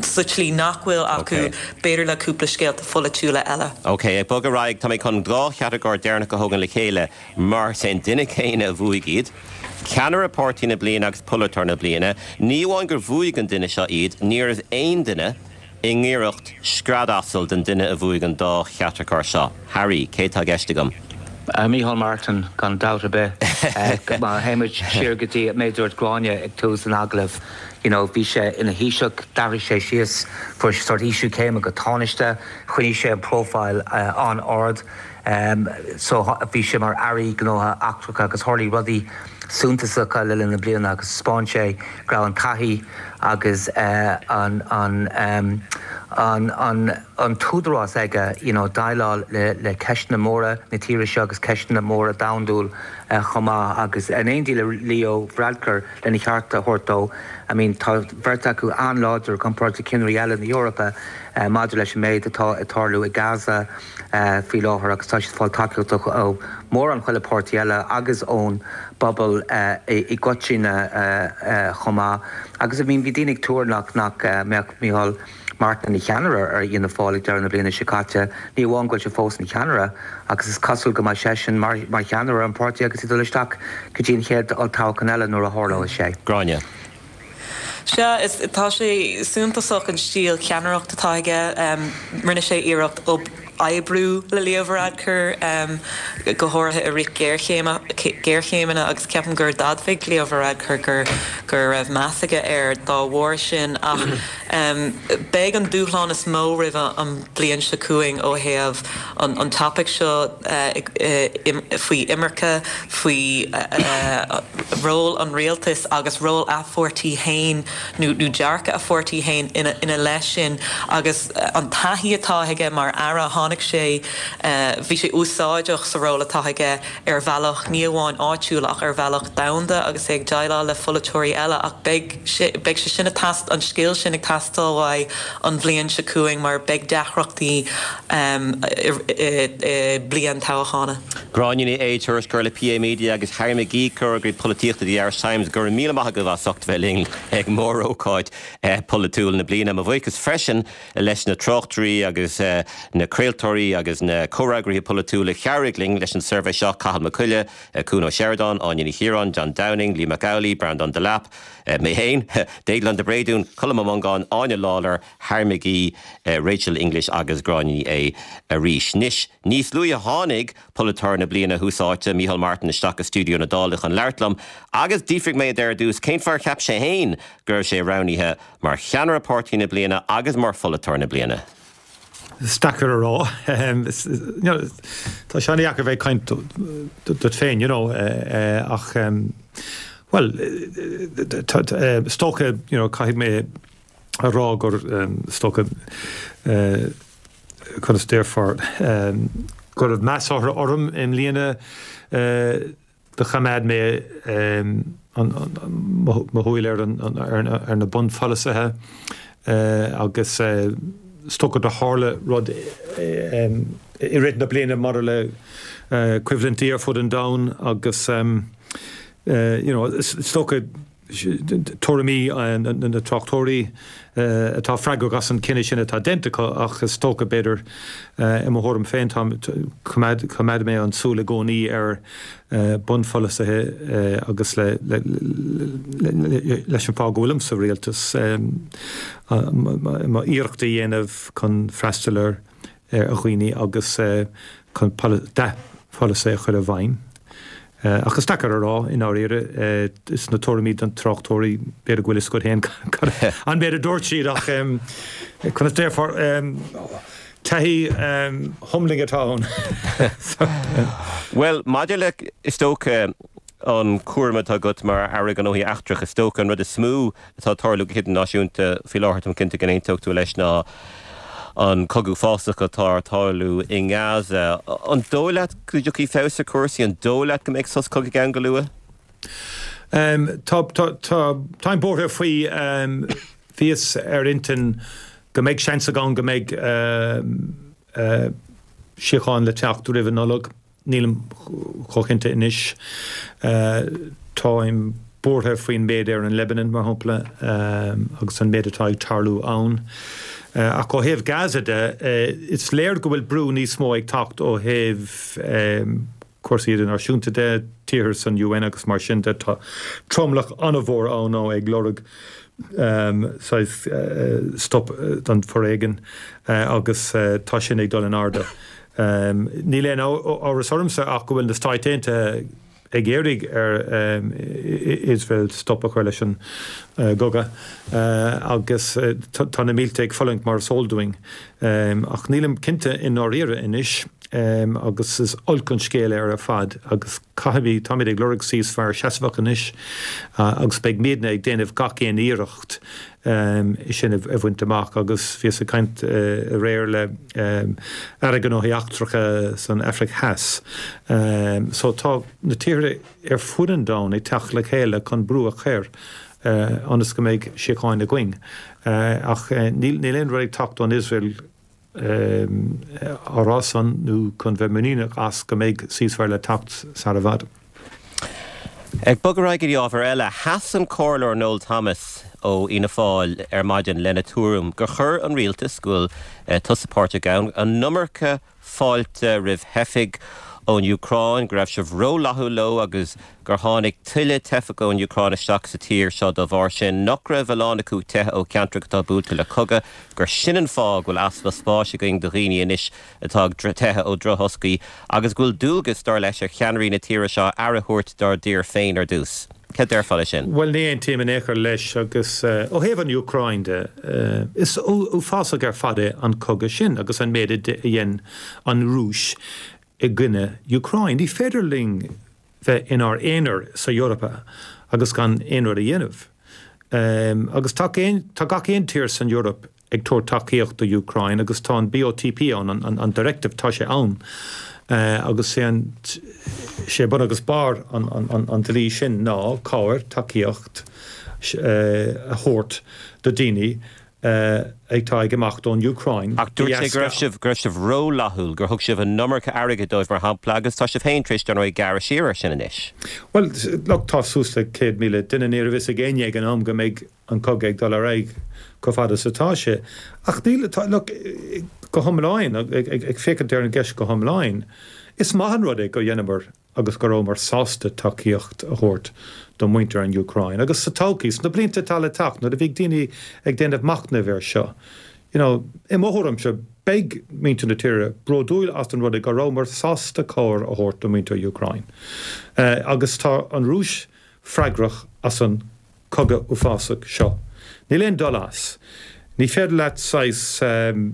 sa tslí nach bhfuil acu b'fhéidir le cúpla scéalta pholaitiúla eile. Ok, ag bogadh ar aghaidh tá mé chun dhá chatagóir deireanach a thógáil le chéile mar is é an duine céanna a bhuaigh iad. Ceannaire páirtí na bliana agus polaiteoir na bliana, ní amháin gur bhuaigh an duine seo iad, ní raibh aon duine i ngiorracht scread-asail den duine a bhuaigh an dá chatagóir seo. Harry, cé tá i gceist agam? Uh, Micheál Martin gan dabht ar bith má théimid siar go dtí méid a dúirt Gráinne ag tús an agallaimh. You know, bhí sé ina Thaoiseach d'athraigh sé síos fuair sé sort ísliú céime go tánaiste, choinnigh sé an profile uh, an-ard. Um, so bhí sé mar Aire Gnóthaí Eachtracha agus tharla rudaí suntasacha le linn na bliana agus thaispeáin sé go raibh an taithí agus uh, an, an, um, an, an, an t-údarás aige you know, déileáil le, le ceisteanna móra na tíre seo agus ceisteanna móra domhanda uh, chomh maith agus in éindí le Leo Varadkar lena cheart a thabhairt dó. I mean, tá beirt acu an-láidir comparáid le ceannairí eile na hEorpa uh, maidir leis an méid atá ag tarlú i Gaza uh, faoi láthair agus tá siad ag fáil tacaíocht ó mórán chuile páirtí eile agus ón bpobal uh, i, i gcoitinne uh, uh, chomh maith. Agus I mean, bhí daoine ag tuar nach nach uh, mbeadh Micheál Martin ina cheannaire ar Fhianna Fáil ag deireadh na bliana seo caite, ní amháin go bhfuil sé fós ina cheannaire agus is cosúil go mbeidh seisean mar, mar cheannaire an pháirtí agus ag dul isteach go dtí an chéad olltoghchán eile nuair a tharlóidh sé. Gráinne. Sea is tá sé suntasach an stíl ceannaireachta atá aige um, rinne sé iarracht oibriú le Leo Varadkar um, go háirithe i rith géarchéimeanna agus ceapaim gur d'admhaigh Leo Varadkar gur gur raibh meas aige air dá bharr sin ach um, beidh an dúshlán is mó roimh an bliain seo chugainn ó thaobh an, an topic seo uh, uh, faoi imirce faoi uh, ról an rialtais agus ról a pháirtí féin nó nó dearcadh a pháirtí féin ina, ina leith sin agus an taithí atá aige mar aire tháinig sé bhí sé úsáideach sa ról atá aige ar bhealach ní amháin áitiúil ach ar bhealach domhanda agus é ag déileáil le polaiteoirí eile ach beidh sé sin tast an scil sin ag teastáil uaidh an bhliain seo chugainn mar beidh deacrachtaí um, bliain toghcháin. Gráinne Ní Aodha tuairisceoir le PA Media agus Harry McGee comhfhreagraí polaitíochta The Irish Times gur míle maith agaibh as ucht bheith linn ag mórócáid eh, polaitiúil na bliana. Mo bhuíochas freisin leis na tráchtairí agus eh, na craoltóirí polaiteoirí agus na comhfhreagraithe polaitiúla a chabhraigh linn leis an suirbhé seo, Cathal Mac Coille, Cuan Ó Seireadáin, Áine Ní Chiaráin, John Downing, Liam Mac Amhlaigh, Breandán Delap, mé féin, Déaglán de Bréadún, Colm Ó Mongáin, Áine Lawlor, Harry McGee, Rachel English agus Gráinne Ní Aodha arís. Anois, níos luaithe tháinig Polaiteoir na Bliana Thús Áite, Micheál Martin isteach i stiúideo na Dála chun labhairt liom agus d'fhiafraigh mé de ar dtús cén fáth ar cheap sé féin go raibh sé roghnaithe mar cheannaire páirtí na bliana agus mar pholaiteoir na bliana. Is deacair a rá. Tá sé an-deacair bheith ag caint duit féin, you know, ach bhuel, is dócha, you know, caithfidh mé a rá gur is dócha conas déarfá go raibh meas orm i mbliana do choimeád mé mo shúil ar ar na bunpholasaithe agus is dócha do tharla rud i rith na bliana maidir le coimhlintí ar fud an domhain agus you know is dócha tuairimí na tráchtóirí atá freagrach as an cinneadh sin atá déanta acu ach is dócha b'fhéidir i mo thuairim féin tá coimeád mé an súil i gcónaí ar bunpholasaithe agus le leis an fáth go bhfuilim sa rialtas mo iarracht a dhéanamh chun freastal ar ar dhaoine agus chun dea-pholasaí a chur i bhfeidhm. Ach is deacair a rá i ndáiríre, is na tuairimí den tráchtóirí, b'fhéidir go bhfuil fhios agat féin an méid a dúirt siad ach conas déarfá, taithí humbling atá ann. Bhuel, maidir le, is dócha, an cúram atá agat mar Aire Gnóthaí Eachtracha, is dócha an rud is mó atá ag tarlú go hidirnáisiúnta faoi láthair, táim cinnte go n-aontódh tú leis, ná an cogadh fásach atá ag tarlú i nGaza. An dóigh leat go dtiocfaidh feabhas ar chúrsaí? An dóigh leat go mbeidh sos cogaidh ann go luath? Tá, tá, tá, táim buartha faoi, bhíos ar intinn go mbeidh seans ann go mbeidh síocháin le teacht roimh an Nollaig. Nílim chomh cinnte anois. Táim buartha faoin méid ar an Lebanon, mar shampla, agus an méid atá ag tarlú ann. Ach ó thaobh Gaza de, is léir go bhfuil brú níos mó ag teacht ó thaobh cúrsaí idirnáisiúnta de, tíortha san UN agus mar sin de. Tá tromlach an-mhór ann ag lorg saghas stop don foréigean agus tá sin ag dul in airde. Níl aon amhras ormsa ach go bhfuil na Stáit Aontaithe ag iarraidh ar Iosrael stop a chur leis an gcogadh agus tá na mílte ag fulaingt mar is eol dúinn. Ach nílim cinnte i ndáiríre anois agus is olc an scéal é ar fad agus caithfimid, táimid ag lorg ceasfire seasmhach anois agus beidh muidne ag déanamh gach aon iarracht é sin a bhaint amach agus bhíos ag caint aréir le Aire Gnóthaí Eachtracha san Afraic Theas. So tá na tíortha ar fud an domhain ag teacht le chéile chun brú a chur ionas go mbeidh síocháin againn. Ach níl aon rud ag teacht ón Iosrael á rá san nó chun bheith muiníneach as go mbeidh ceasfire le teacht sar i bhfad. Ag bogadh ar aghaidh go dtí ábhar eile, sheas an Comhairleoir Noel Thomas ó Fhianna Fáil ar maidin lena tuairim gur chuir an rialtas, go bhfuil tusa páirteach ann, an iomarca fáilte roimh theifigh ón Úcráin, go raibh sibh rófhlaithiúil leo agus gur tháinig tuilleadh teifeach ón Úcráin isteach sa tír seo dá bharr sin, nach raibh a lán acu ag teitheadh ó cheantracha atá buailte le cogadh, gur sin an fáth go bhfuil easpa spáis againn do dhaoine anois atá ag teitheadh ó dhrochthoscaí agus go bhfuil dualgas, dar leis, ar cheannairí na tíre seo aire a thabhairt dár dtír féin ar dtús. Cad déarfá leis sin? Bhuel, ní aontaím in aon chor leis agus ó thaobh an Úcráin de, is uafásach ar fad é an cogadh sin agus an méid a dhein an Rúis i gcoinne Úcráin. Ní féidir linn bheith inár aonar sa Eoraip agus gan aon rud a dhéanamh. Agus tá gach aon tír san Eoraip ag tabhairt tacaíocht do Úcráin agus tá an BOTP ann, an directive, tá sé ann agus sé bun agus barr an dlí sin ná cabhair, tacaíocht a thabhairt do daoine atá ag imeacht ón Úcráin Ach dúirt sé go raibh sibh, go raibh sibh rófhlaithiúil, gur thug sibh an iomarca airgid dóibh mar shampla agus tá sibh féin tar éis, dar ndóigh, gearradh siar air sin anois. Bhuel, look, tá suas le céad míle duine, ní raibh fhios ag éinne ag an am go mbeidh an cogadh ag dul ar aghaidh chomh fada is atá sé. Ach níl, tá, look, go hiomlán, ag féachaint ar an gceist go hiomlán, is maith an rud é go dheineamar agus go rabhamar sásta tacaíocht a thabhairt do mhuintir an Úcráin. Agus sa todhchaí, sna blianta atá le teacht, nuair a bheidh daoine ag déanamh machnaimh air seo, you know, i mo thuairimse, beidh muintir na tíre bródúil as an rud é go rabhamar sásta cabhair a thabhairt do mhuintir Úcráin. Agus tá an Rúis freagrach as an cogadh uafásach seo. Níl aon dul as. Ní féidir leat saghas,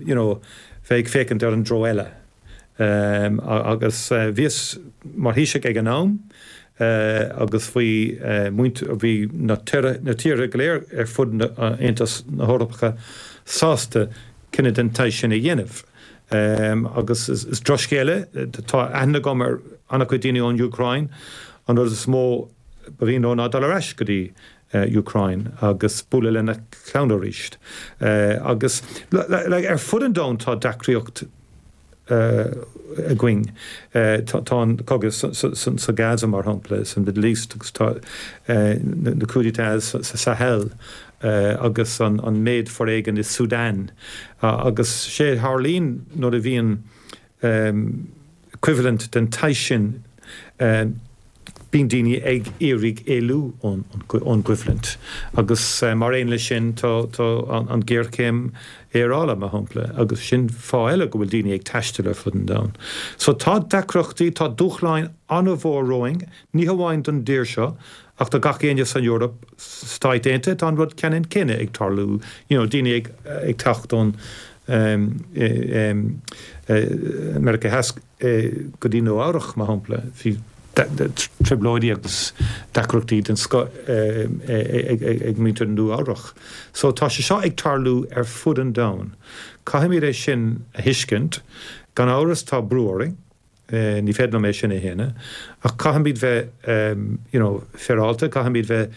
you know, bheith ag féachaint ar an dtreo eile. Agus bhíos mar Thaoiseach ag an am agus bhí muintir, bhí na tíortha go léir ar fud Aontas na hEorpacha sásta cinneadh den tsaghas sin a dhéanamh. Agus is drochscéal é, tá aithne agam ar an-chuid daoine ón Úcráin, an rud is mó ba mhian leo ná dul ar ais go dtí Úcráin agus bualadh lena gclann arís. Agus ar fud an domhain tá deacraíocht againn. Tá an cogadh sa Gaza mar shampla, san Middle East agus tá na coup d'états sa Sahel agus an méid foréigin i Sudan. Agus sé a tharlaíonn nuair a bhíonn coimhlint den tsaghas sin, bíonn daoine ag iarraidh éalú ón gcoimhlint. Agus mar aon leis sin tá an ghéarchéim aeráide, mar shampla, agus sin fáth eile go bhfuil daoine ag taisteal ar fud an domhain. So tá deacrachtaí, tá dúshláin an-mhór romhainn, ní hamháin don dtír seo, ach do gach éinne san Eoraip, Stáit Aontaithe, tá an rud ceannann céanna ag tarlú, you know, daoine ag ag teacht ón Meiriceá Theas go dtí Nua Eabhrac, mar shampla. Bhí trioblóidí agus deacrachtaí den scoth ag muintir Nua Eabhrac. So tá sé seo ag tarlú ar fud an domhain. Caithfimid é sin a thuiscint. Gan amhras tá brú orainn, ní féidir liom é sin a shéanadh, ach caithfimid bheith you know féaráilte, caithfimid bheith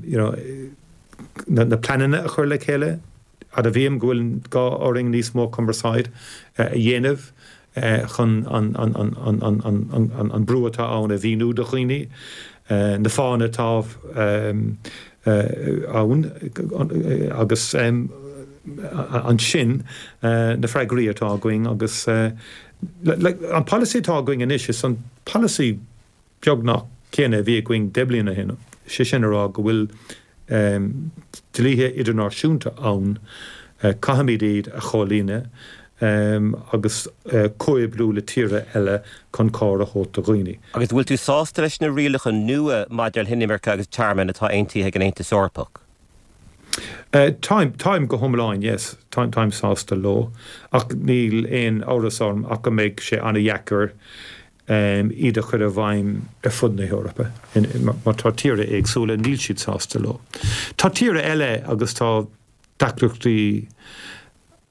you know na pleananna a chur le chéile. Admhaím go bhfuil gá orainn níos mó cumarsáid a dhéanamh chun an brú atá ann a mhíniú do dhaoine, na fáthanna atá ann agus ansin na freagraí atá againn agus an polasaí atá againn anois is an polasaí beagnach céanna a bhí againn deich mbliana ó shin, sé sin a rá go bhfuil dlíthe idirnáisiúnta ann, caithfimid iad a chomhlíonadh agus comhoibriú le tíortha eile chun cabhair a thabhairt do dhaoine. Agus an bhfuil tú sásta leis na rialacha nua maidir le hinimirce agus tearmann atá aontaithe ag an Aontas Eorpach? Táim, táim go hiomlán, yes, táim, táim sásta leo ach níl aon amhras orm ach go mbeidh sé an-dheacair iad a chur i bhfeidhm ar fud na hEorpa mar tá tíortha éagsúla, níl siad sásta leo. Tá tíortha eile agus tá deacrachtaí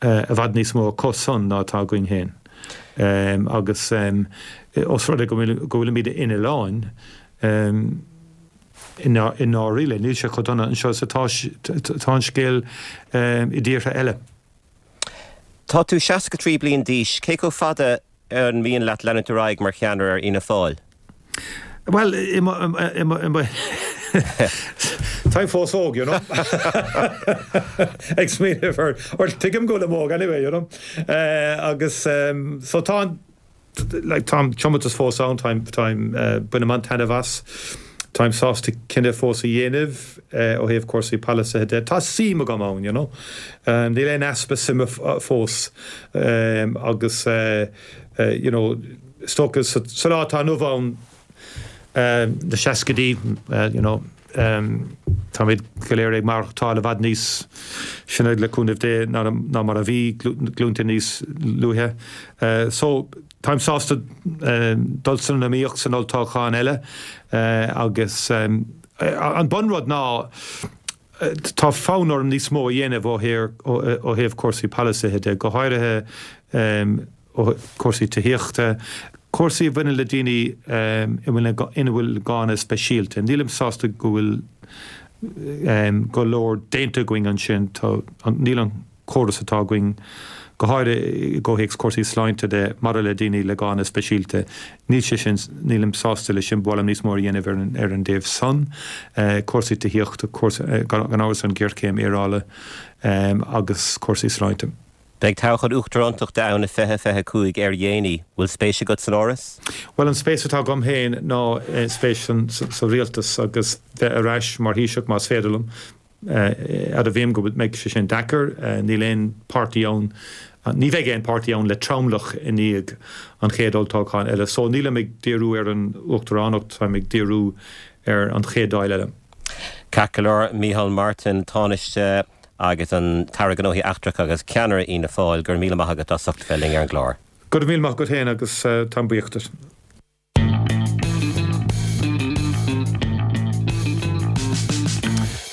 i bhfad níos mó acu san ná atá againn féin. Agus os rud é go bhfuilimid in oileán, i ndáiríre, níl sé chomh dona anseo is atá an scéal i dtíortha eile. Tá tú seasca trí bliain d'aois, cé chomh fada an mian leat leanúint ar aghaidh mar cheannaire ar Fhianna Fáil? Bhuel, i mo, i mo, i mo, táim fós óg, you know. Ag smaoineamh ar, or tuigim go bhfuilim óg anyway, you know. Agus so tá an, like, tá an tiomantas fós ann, táim, táim, bainim an-taitneamh as. Táim sásta cinneadh fós a dhéanamh ó thaobh cúrsaí polasaithe de. Tá suim agam ann, you know. Níl aon easpa suime fós agus you know, is dócha sa lá atá inniu ann, na seascaidí, you know, táimid go léir ag maireachtáil i bhfad níos sine le cúnamh Dé ná mar a bhí glúnta níos luaithe. So, táim sásta dul san iomaíocht san olltoghchán eile agus an bunrud ná tá fonn orm níos mó a dhéanamh ó thaobh cúrsaí polasaithe de, go háirithe ó cúrsaí tithíochta, cúrsaí a bhaineann le daoine ina bhfuil gánna speisialta. Nílim sásta go bhfuil go leor déanta againn ansin. Tá, níl an córas atá againn, go háirithe i gcomhthéacs cúrsaí sláinte de, maidir le daoine le gánna speisialta, níl sé sin, nílim sásta leis sin, ba mhaith liom níos mó a dhéanamh ar an, ar an dtaobh san. Cúrsaí tithíochta, cúrsaí, gan amhras an ghéarchéim aeráide agus cúrsaí sláinte. Beidh toghchán uachtarántachta ann i fiche fiche cúig ar dhéanaí. Bhfuil spéis agat san áras? Bhuel an spéis atá agam féin ná spéis sa rialtas agus bheith ar ais mar Thaoiseach más féidir liom. Admhaím go mbeidh sé sin deacair, níl aon páirtí ann, ní bheidh aon páirtí ann le tromlach i ndiaidh an chéad olltoghcháin eile. So nílim ag díriú ar an uachtaránacht, táim ag díriú ar an chéad Dáil eile. Ceart go leor, Micheál Martin, Tánaiste agus an tAire Gnóthaí Eachtracha agus Ceannaire Fhianna Fáil, go raibh míle maith agat as ucht bheith linn ar an gclár. Go raibh míle maith agat féin agus táim buíoch duit.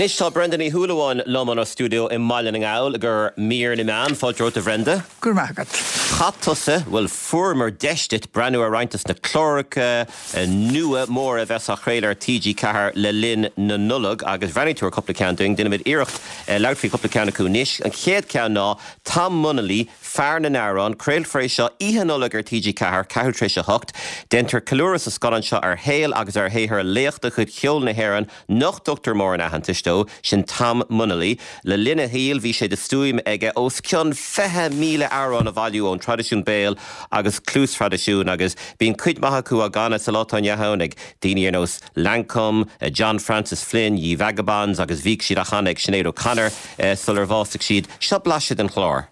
Anois tá Brenda Ní Shúilleabháin liom inár stiúideo i mBaile na nGall i gcomhair mír na meán. Fáilte romhat a Bhrenda. Go raibh maith agat. Chaith tusa, bhuel fuaireamar deis duit breathnú ar roinnt des na cláracha nua móra a bheas á chraoladh ar T G ceathair le linn na Nollag agus bhreathnaigh tú ar cúpla ceann dúinn. Déanfaimid iarracht labhairt faoi chúpla ceann acu anois. An chéad cheann ná Tom Munnelly, Fear na nAmhrán. Craolfar é seo oíche Nollag ar T G ceathair, ceathrú tar éis a hocht. Déantar ceiliúradh sa scannán seo ar shaol agus ar shaothar laoch de chuid cheol na hÉireann nach dtugtar mórán aitheantais dó, sin Tom Munnelly. Le linn a shaoil bhí sé de stuaim aige os cionn fiche míle amhrán a bhailiú ón traidisiún béil agus cluastraidisiún agus bíonn cuid mhaith acu á gcanadh sa lá atá inniu ann ag daoine ar nós Lankum, John Francis Flynn, Ye Vagabonds agus bhíodh siad á chanadh ag Sinéad O'Connor sular bhásaigh siad. Seo blaiseadh den chlár.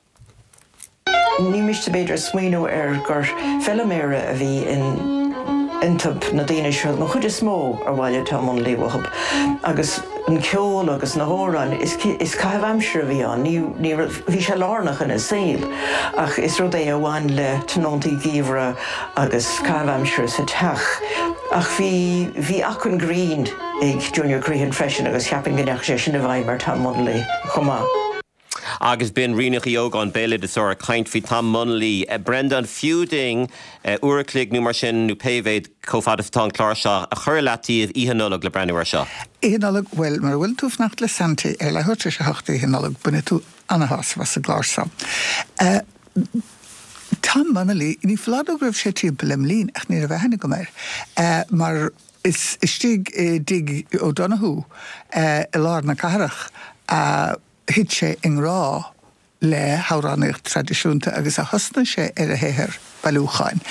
Ní miste b'fhéidir smaoineamh air gur feiliméara a bhí in iontub na daoine seo, an chuid is mó ar bhailigh Tom Munnelly uathub, agus an ceol agus na hamhráin, is is caitheamh aimsire a bhí ann, ní ní raibh, bhí sé lárnach ina saol ach is rud é a bhain le tionóntaí geimhridh agus caitheamh aimsire sa teach. Ach bhí bhí acmhainn grinn ag Junior Crehan freisin agus cheapfainn go ndeachaigh sé sin i bhfeidhm ar Tom Munnelly chomh maith. Agus b'in Ríonach Uí Ógáin, béaloideasóir, ag caint faoi Tom Munnelly. Brenda, an fiú dúinn uair a chloig nó mar sin, nó pé mhéad, chomh fada is atá an clár seo, a chur i leataobh oíche Nollag le breathnú air seo? Oíche Nollag, bhuel, mura bhfuil tú ag fanacht le Santy ar leathuair tar éis a hocht Oíche Nollag, bainfidh tú ana-shásamh as an gclár seo. Tom Munnelly, ní foláir nó go raibh sé timpeall lem linn ach ní raibh aithne agam air, mar is istigh i dtigh O'Donoghue i lár na cathrach a thit sé i ngrá le hamhránaíocht traidisiúnta agus a thosnaigh sé ar a shaothar bailiúcháin.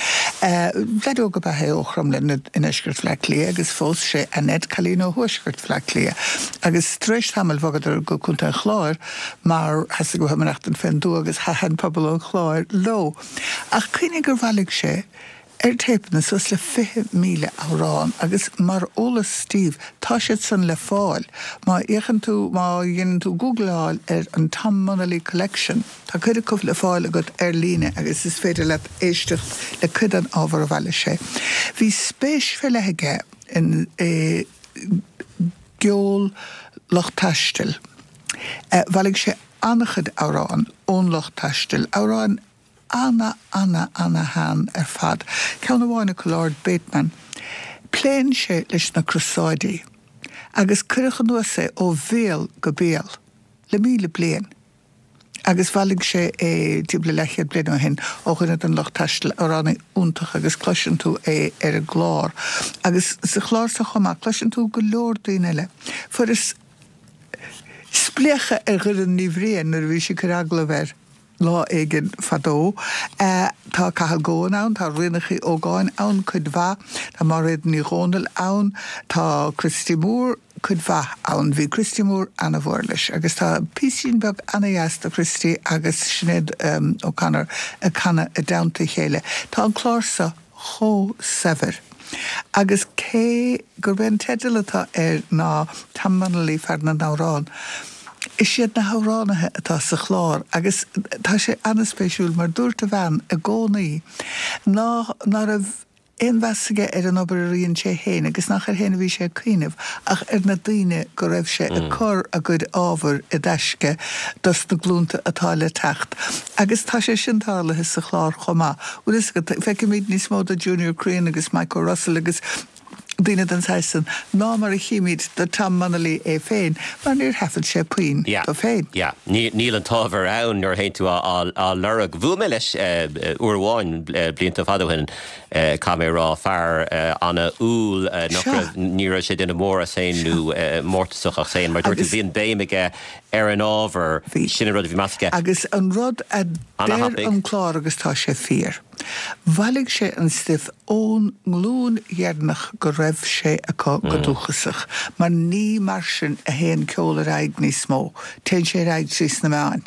Leaid óg ab ea é ó Chromghlinn i ndeisceart Bhaile Átha Cliath agus phós sé Annette, cailín ó thuaisceart Bhaile Átha Cliath, agus tar éis tamaill bhogadar go Contae an Chláir mar theastaigh uathu maireachtaint fén dtuath agus thaitin pobal an Chláir leo. Ach cuimhnigh gur bhailigh sé ar téipeanna suas le fiche míle amhrán agus mar eolas daoibh, tá siad san le fáil má fhéachann tú, má dhéanann tú gúgláil ar an Tom Munnelly Collection, tá cuid acu le fáil agat ar líne agus is féidir leat éisteacht le cuid den ábhar a bhailigh sé. Bhí spéis fé leith aige in i gceol lucht taistil. Bhailigh sé an-chuid amhrán ón lucht taistil, amhráin ana, ana, ana shean ar fad. Ceann amháin acu Lord Bateman. Pléann sé leis na Crosáidí agus cuireadh anuas é ó bhéal go béal le míle bliain agus bhailigh sé é timpeall le leathchéad bliain ó shin ó dhuine den lucht taistil, amhránaí iontach agus cloiseann tú é ar an gclár. Agus sa chlár seo chomh maith cloiseann tú go leor daoine eile. Fuaireas spléachadh ar Dhoireann Ní Bhriain nuair a bhí sí ag cur agallamh air. lá éigin fadó. Tá Cathal Goan ann, tá Ríonach Uí Ógáin ann cuid mhaith, tá Máiréad Ní Dhomhnaill ann, tá Christy Moore cuid mhaith ann. Bhí Christy Moore ana-mhór leis agus tá píosín beag ana-dheas de Christy agus Sinéad O'Connor ag canadh i dteannta a chéile. Tá an clár seo chomh saibhir. Agus cé gurb é an teideal atá air ná Tom Munnelly, Fear na nAmhrán, is iad na hamhránaithe atá sa chlár agus tá sé an-spéisiúil mar dúirt a bhean i gcónaí ná ná raibh aon mheas aige ar an obair a dhein sé féin agus nach air féin a bhí sé ag cuimhneamh ach ar na daoine go raibh sé ag cur a gcuid ábhair i dtaisce dos na glúnta atá le teacht. Agus tá sé sin tarlaithe sa chlár chomh maith. Bhfuil fhios agat, feicimid níos mó de Junior Crean agus Mike O'Russell agus daoine den saghas san ná mar a chímid do Tom Munnelly é féin, mar níor thaifead sé puinn dó féin. Yeah, níl an t-ábhar ann nuair a théann tú á lorg. Bhuail mé leis uair amháin blianta fada ó shin, caithfidh mé a rá, fear an-umhal nach raibh, ní raibh sé duine mór as féin nó mórtasach as féin, mar dúirt tú, bhí an béim aige ar an ábhar, sin an rud a bhí meas aige. Agus an rud a deir an clár agus tá sé fíor. Bhailigh sé an stuif ón nglúin dheireanach go raibh sé acu go dúchasach, mar ní mar sin a théann ceol ar aghaidh níos mó, téann sé ar aghaidh trí sna meáin.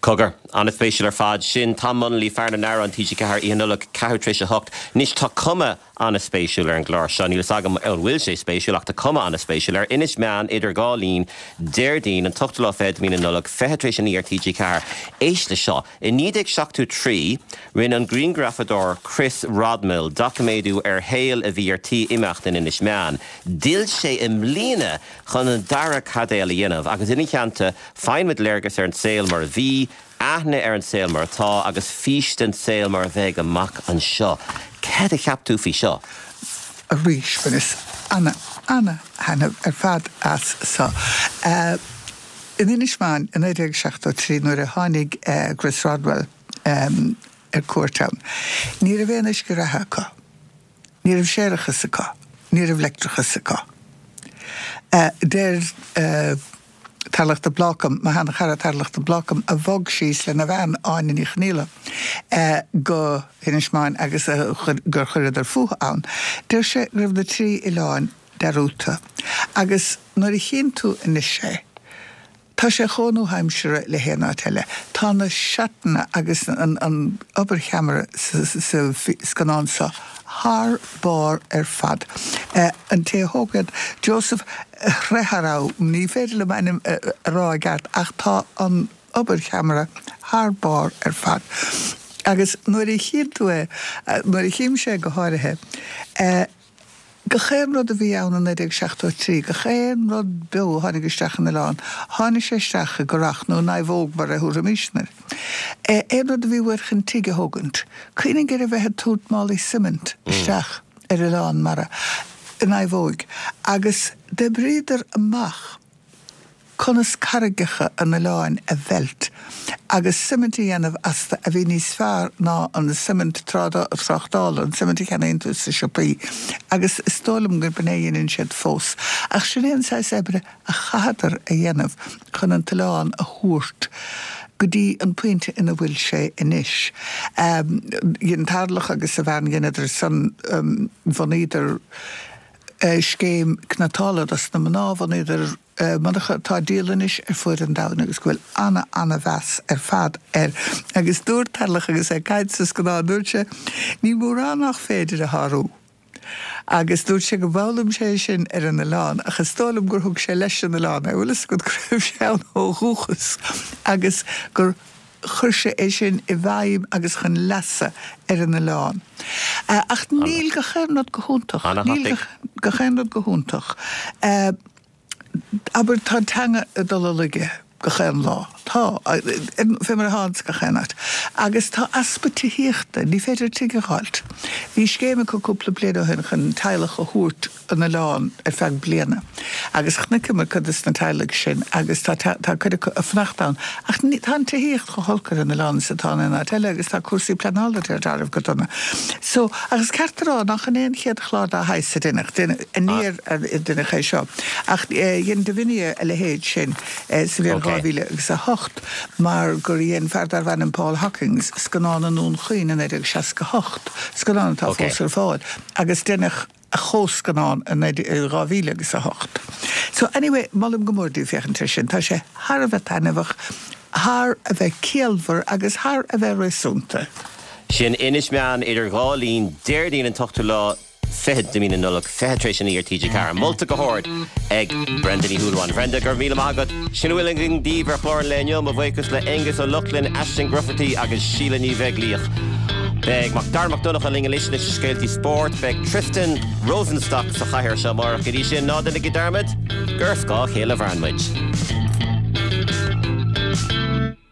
Cogar, an-spéisiúil ar fad. Sin Tom Munnelly, Fear na nAmhrán, T G ceathair, Oíche Nollag, ceathrú tar éis a hocht. Anois tá cuma an-spéisiúil ar an gclár seo. Níl fhios agam an bhfuil sé spéisiúil ach tá cuma an-spéisiúil air. Inis Meáin, Idir Dhá Linn, Déardaoin, an t-ochtú lá fichead de mhí na Nollag, fiche tar éis a naoi ar T G ceathair. Éist le seo. I naoi déag seachtó trí, rinne an grianghrafadóir Chris Rodmell doiciméadú ar shaol a bhí ar tí imeacht in Inis Meáin. D'fhill sé i mbliana chun an dara caidéal a dhéanamh agus ina theannta faigheann muid léargas ar an saol mar a bhí, aithne ar an saol mar atá agus fís den saol mar a bheidh amach anseo. Céard a cheap tú faoi seo? Arís, bhaineas ana, ana-thaitneamh ar fad as so. In Inis Meáin i naoi déag seachtó trí nuair a tháinig Chris Rodwell ar cuairt ann, ní raibh aon uisce reatha acu, ní raibh séarachas acu, ní raibh leictreachas acu. Deir Tarlach de Blácam, mo sheanchara Tarlach de Blácam, a bhog síos lena bhean, Áine Ní Chonaola, go hInis Meáin agus gur chuireadar fúthu ann. Deir sé go raibh na trí oileán dearúdta. Agus nuair a chíonn tú anois é, tá sé chomh nua-aimseartha le haon áit eile. Tá na seatanna agus an obair cheamara sa scannán seo thar barr ar fad. An té a thóg iad, Joseph Hreharau, ní féidir liom a ainm a rá i gceart ach tá an obair cheamara thar barr ar fad. Agus nuair a chíonn tú é, nuair a chímse é go háirithe, gach aon rud a bhí ann i naoi déag seachtó a trí, gach aon rud beo a tháinig isteach an oileán, tháinig sé isteach i gcurach nó in naomhóg mar a thabharfaimisne air. Aon rud a bhí uait chun tigh a thógaint. Cuimhnigh ar a bheith ag tabhairt málaí suimint isteach ar oileán mara i naomhóig agus d'oibríodar amach conas carraigeacha an oileáin a mheilt agus suimint a dhéanamh astu a bhí níos fearr ná an suimint tráchtála, an suimint a cheannaíonn tú sna siopaí. Agus is dóigh liom gurb in é a dhéanann siad fós. Ach sin é an saghas oibre a chaitheadar a dhéanamh chun an t-oileán a thabhairt go dtí an pointe ina bhfuil sé anois. Dhein Tarlach agus a bhean, dheineadar san, bhunaíodar scéim cniotála dos na mná, bhunaíodar monarcha atá á díol anois ar fuaid an domhain agus go bhfuil ana ana mheas ar fad air. Agus dúirt Tarlach agus é ag caint sa scannán, dúirt sé, ní mórán nach féidir a shárú. Agus dúirt sé go bhfoghlaim sé sin ar an oileán ach is dóigh liom gur thug sé leis an oileán é, bhfuil fhios agat go raibh sé ann ó dhúchas agus gur chuir sé é sin i bhfeidhm agus chun leasa ar an oileán. Ach níl gach aon rud go hiontach. Níl gach aon rud go hiontach. Abair, tá an teanga ag dul i laige gach aon lá. Tá. Fé mar atá ins gach aon áit. Agus tá easpa tithíochta. Ní féidir tigh a dh'fháilt. Bhí scéim acu cúpla bliain ó shin chun teaghlach a thabhairt an oileán ar feadh bliana. Agus chonaiceamar cuid de na teaghlaigh sin agus tá tá cuid acu ag fanacht ann. Ach ní tá an tithíocht chomh holc ar an oileán is atá in aon áit eile agus tá cúrsaí pleanála ar dealramh go dona. So, ach is ceart a rá nach in é an chéad chlár dá shaghas a deineadh, aniar a deineadh é seo. Ach dhein Divinia a leithéid sin sa bhliain dhá mhíle agus a hocht mar gur dhein fear darbh ainm Paul Hockings scannán i nDún Chaoin i naoi déag seasca a hocht, scannán atá fós ar fáil, agus deineadh a chomhscannán i naoi déag dhá mhíle agus a hocht. So anyway, molaim go mór daoibh féachaint air sin. Tá sé thar a bheith taitneamhach, thar a bheith ciallmhar agus thar a bheith réasúnta. Sin Inis Meáin idir dhá linn, Déardaoin an t-ochtú lá fichead de mhí na Nollag, fiche tar éis a naoi ar T G ceathair. Molta go hard ag Brenda Ní Shúilleabháin. Bhrenda, go raibh míle maith agat. Sin a bhfuil againn daoibh ar chlár an lae inniu. Mo bhuíochas le Aengus Ó Lochlainn, Aisling Grufferty agus Síle Ní Bheaglaoich. Beidh Mac Dara Mac Donncha linn anois leis na scéaltaí spóirt. Beidh Tristan Rosenstock sa chathaoir seo amárach. Go dtí sin, ná déanaigí dearmad gur ar scáth a chéile a mhaireann muid.